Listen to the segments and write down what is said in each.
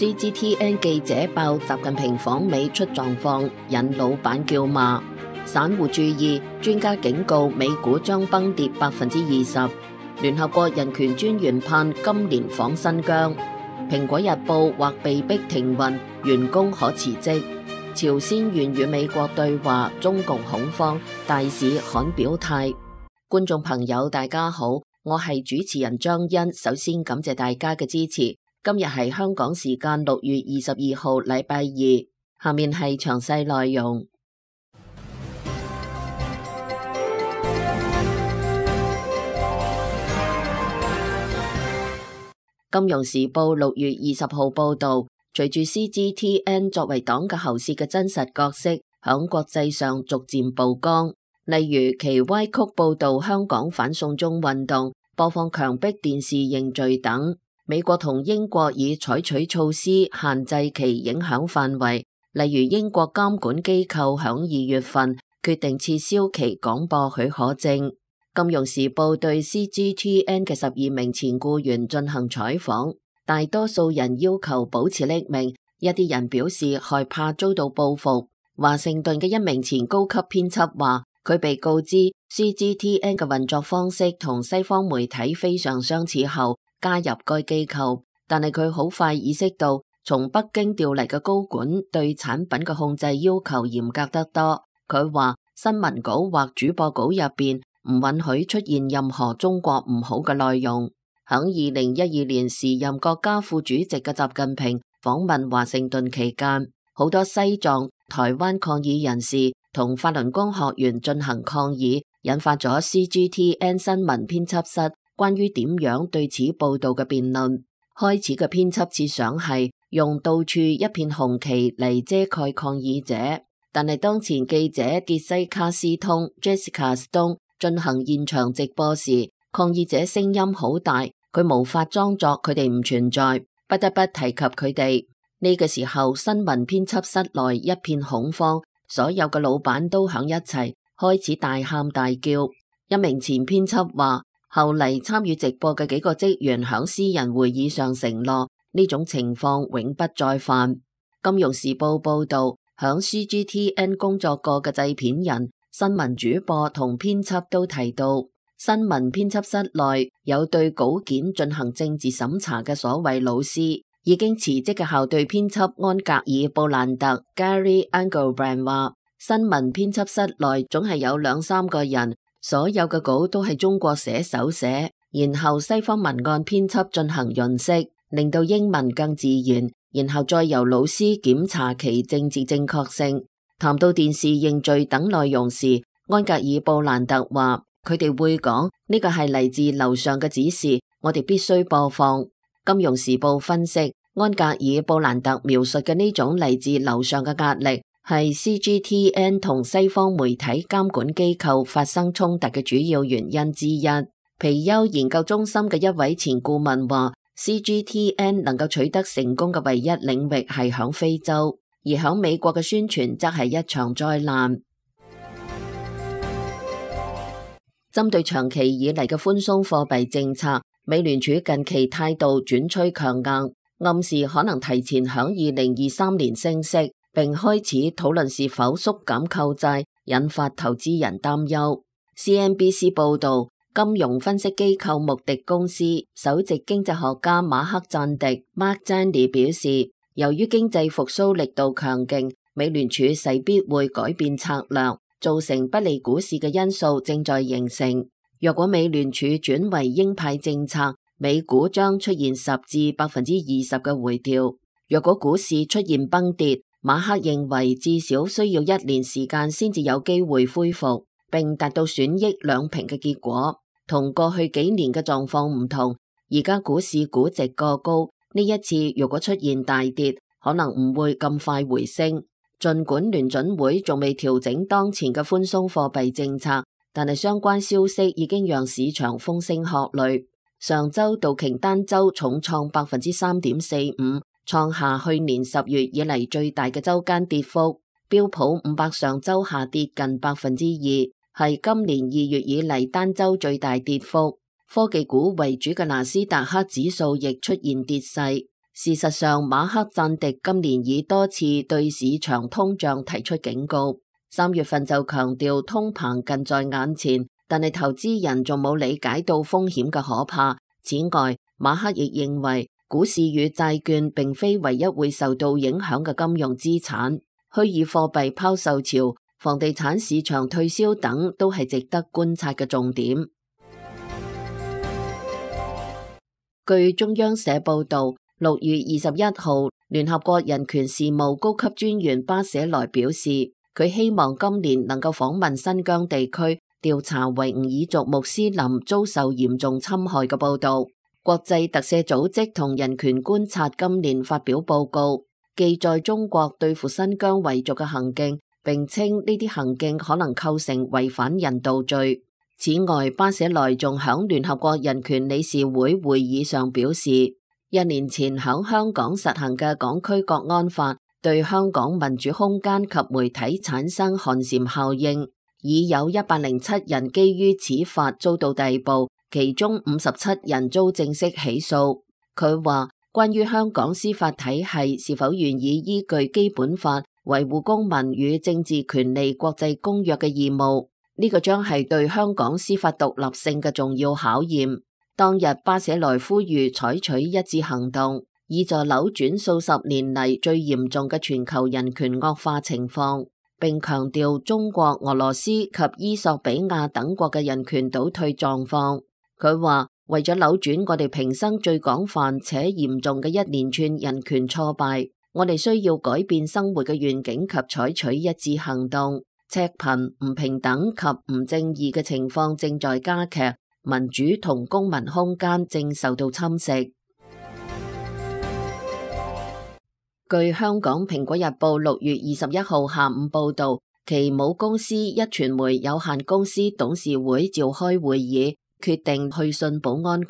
CGTN 記者爆習近平訪美出狀況，引老闆叫罵。散戶注意，專家警告美股將崩跌20%。聯合國人權專員盼今年訪新疆。蘋果日報或被逼停運，員工可辭職。朝鮮願與美國對話，中共恐慌，大使罕表態。觀眾朋友大家好，我係主持人張欣，首先感謝大家嘅支持。今日係香港時間6月22號禮拜二，下面係詳細內容。金融時報6月20號報道，隨住 CGTN 作為黨嘅喉舌嘅真實角色響國際上逐漸曝光，例如其歪曲報道香港反送中運動、播放強迫電視認罪等。美國同英國已採取措施限制其影響範圍，例如英國監管機構響2月份決定撤銷其廣播許可證。金融時報對 CGTN 嘅12名前僱員進行採訪，大多數人要求保持匿名，一啲人表示害怕遭到報復。華盛頓嘅一名前高級編輯話，佢被告知 CGTN 嘅運作方式同西方媒體非常相似後加入該機構，但係佢好快意識到從北京調嚟嘅高管對產品嘅控制要求嚴格得多。佢話新聞稿或主播稿入邊唔允許出現任何中國唔好嘅內容。響2012年時任國家副主席嘅習近平訪問華盛頓期間，好多西藏、台灣抗議人士同法輪功學員進行抗議，引發咗 CGTN 新聞編輯室關於點樣對此報道嘅辯論。開始嘅編輯設想係用到處一片紅旗嚟遮蓋抗議者，但係當前記者傑西卡斯通 Jessica Stone 進行現場直播時，抗議者聲音好大，佢無法裝作佢哋唔存在，不得不提及佢哋。呢個時候新聞編輯室內一片恐慌，所有嘅老闆都響一齊開始大喊大叫。一名前編輯話，後嚟參與直播嘅幾個職員響私人會議上承諾呢種情況永不再犯。金融時報報道，響 CGTN 工作過嘅製片人、新聞主播同編輯都提到，新聞編輯室內有對稿件進行政治審查嘅所謂老師。已經辭職嘅校對編輯安格爾布蘭特 Gary Engelbrand 話，新聞編輯室內總係有2-3個人，所有嘅稿都係中國寫手寫，然後西方文案編輯進行潤色，令到英文更自然，然後再由老師檢查其政治正確性。談到電視認罪等內容時，安格爾布蘭特話，佢哋會講呢個係嚟自樓上嘅指示，我哋必須播放。金融時報分析，安格爾布蘭特描述嘅呢種嚟自樓上嘅壓力，係 CGTN 同西方媒體監管機構發生衝突嘅主要原因之一。皮尤研究中心嘅一位前顧問話， CGTN 能夠取得成功嘅唯一領域係響非洲，而響美國嘅宣傳則係一場災難。針對長期以嚟嘅寬鬆貨幣政策，美聯儲近期態度轉趨強硬，暗示可能提前響2023年升息，並開始討論是否縮減購債，引發投資人擔憂。CNBC 報道，金融分析機構穆迪公司首席經濟學家馬克贊迪 Mark Zandi 表示，由於經濟復甦力度強勁，美聯儲勢必會改變策略，造成不利股市嘅因素正在形成。若果美聯儲轉為鷹派政策，美股將出現10%至20%嘅回調。若果股市出現崩跌，馬克認為至少需要1年時間先至有機會恢復，並達到損益兩平嘅結果。同過去幾年嘅狀況唔同，而家股市估值過高，呢一次如果出現大跌，可能唔會咁快回升。儘管聯準會仲未調整當前嘅寬鬆貨幣政策，但係相關消息已經讓市場風聲鶴唳。上周道瓊單周重創3.45%，創下去年10月以嚟最大嘅周間跌幅。標普500上周下跌近2%，係今年2月以嚟單周最大跌幅。科技股為主嘅納斯達克指數亦出現跌勢。事實上，馬克贊迪今年已多次對市場通脹提出警告，3月份就強調通膨近在眼前，但係投資人仲冇理解到風險嘅可怕。此外，馬克亦認為股市與債券並非唯一會受到影響嘅金融資產，虛擬貨幣拋售潮、房地產市場退燒等都係值得觀察嘅重點。據中央社報導，6月21號，聯合國人權事務高級專員巴舍萊表示，佢希望今年能夠訪問新疆地區，調查維吾爾族穆斯林遭受嚴重侵害嘅報導。國際特赦組織同人權觀察今年發表報告，記載中國對付新疆維族嘅行徑，並稱呢啲行徑可能構成違反人道罪。此外，巴舍萊仲響聯合國人權理事會會議上表示，1年前響香港實行嘅港區國安法對香港民主空間及媒體產生寒蟬效應，已有107人基於此法遭到逮捕，其中57人遭正式起訴。佢話，關於香港司法體系是否願意依據基本法維護公民與政治權利國際公約嘅義務，呢個將係對香港司法獨立性嘅重要考驗。當日巴舍萊呼籲採取一致行動，以助扭轉數十年嚟最嚴重嘅全球人權惡化情況，並強調中國、俄羅斯及伊索比亞等國嘅人權倒退狀況。佢話，為咗扭轉我哋平生最廣泛且嚴重嘅一連串人權挫敗，我哋需要改變生活嘅願景及採取一致行動。赤貧、唔平等及唔正義嘅情況正在加劇，民主同公民空間正受到侵蝕。據香港蘋果日報6月21號下午報導，其母公司壹傳媒有限公司董事會召開會議，決定去信保安局，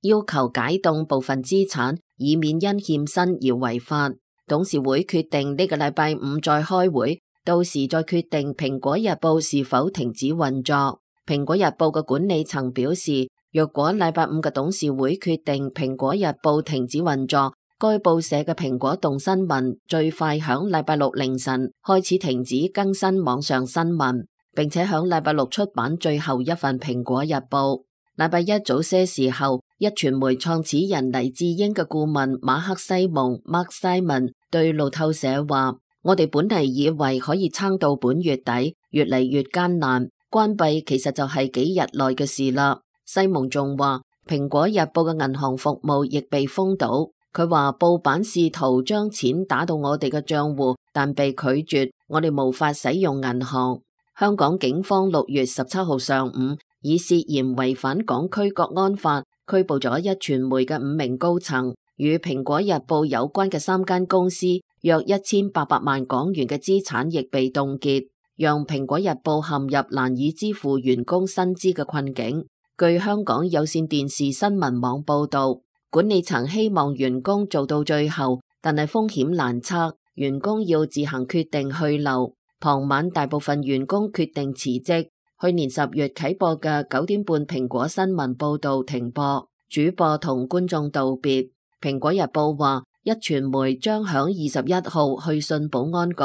要求解凍部分資產，以免因欠薪而違法。董事會決定呢個禮拜五再開會，到時再決定蘋果日報是否停止運作。蘋果日報嘅管理層表示，若果禮拜五嘅董事會決定蘋果日報停止運作，該報社嘅蘋果動新聞最快響禮拜六凌晨開始停止更新網上新聞，並且響禮拜六出版最後一份蘋果日報。禮拜一早些時候，壹傳媒創始人黎智英嘅顧問馬克西蒙 Mark Simon 對路透社話，我哋本嚟以為可以撐到本月底，越嚟越艱難，關閉其實就係幾日內嘅事啦。西蒙仲話，蘋果日報嘅銀行服務亦被封堵。佢話報版試圖將錢打到我哋嘅賬戶，但被拒絕，我哋無法使用銀行。香港警方6月17號上午以涉嫌違反港區國安法拘捕咗壹傳媒嘅5名高層，與蘋果日報有關嘅3間公司約1800萬港元嘅資產亦被凍結，讓蘋果日報陷入難以支付員工薪資嘅困境。據香港有線電視新聞網報道，管理層希望員工做到最後，但係風險難測，員工要自行決定去留。傍晚大部分員工決定辭職。去年10月啟播嘅9點半蘋果新聞報道停播，主播同觀眾道別。蘋果日報話，壹傳媒將響21號去信保安局，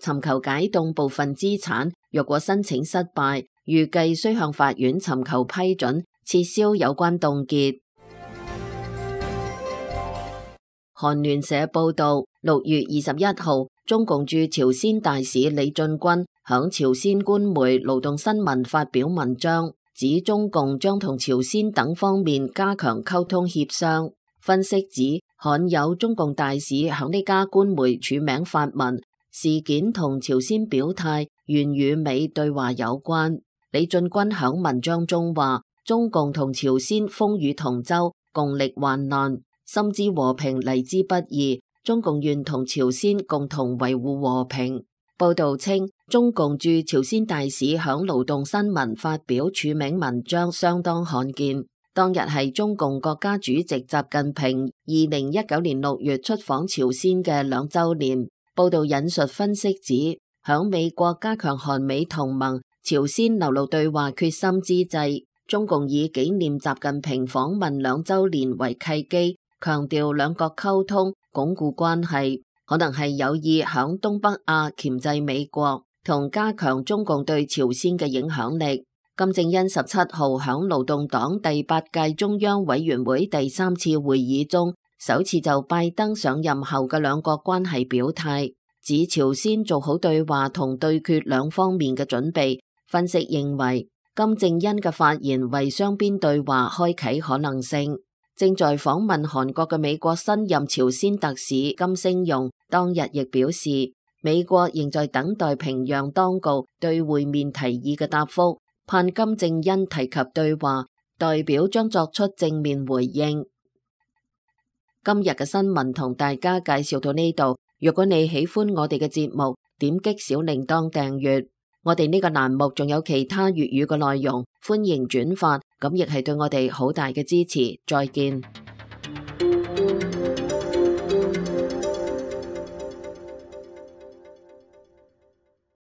尋求解凍部分資產。若果申請失敗，預計需向法院尋求批准，撤銷有關凍結。韓聯社報道，6月21號，中共駐朝鮮大使李進軍響朝鮮官媒勞動新聞發表文章，指中共將同朝鮮等方面加強溝通協商。分析指，罕有中共大使響呢家官媒署名發文，事件同朝鮮表態願與美對話有關。李進軍響文章中話，中共同朝鮮風雨同舟，共歷患難，深知和平嚟之不易，中共願同朝鮮共同維護和平。報道稱，中共駐朝鮮大使響勞動新聞發表署名文章相當罕見。當日係中共國家主席習近平2019年6月出訪朝鮮嘅2週年。報道引述分析指，響美國加強韓美同盟、朝鮮流露對話決心之際，中共以紀念習近平訪問2週年為契機，強調兩國溝通鞏固關係，可能係有意響東北亞鉗制美國同加強中共對朝鮮嘅影響力。金正恩17號響勞動黨第8屆中央委員會第3次會議中，首次就拜登上任後嘅兩國關係表態，指朝鮮做好對話同對決兩方面嘅準備。分析認為，金正恩嘅發言為雙邊對話開啟可能性。正在訪問韓國嘅美國新任朝鮮特使金星容當日亦表示，美國仍在等待平壤當局對會面提議嘅答覆，盼金正恩提及對話，代表將作出正面回應。今日嘅新聞同大家介紹到呢度，如果你喜歡我哋嘅節目，點擊小鈴鐺訂閱。我哋呢個欄目仲有其他粵語嘅內容，歡迎轉發，咁亦係對我哋好大嘅支持。再見。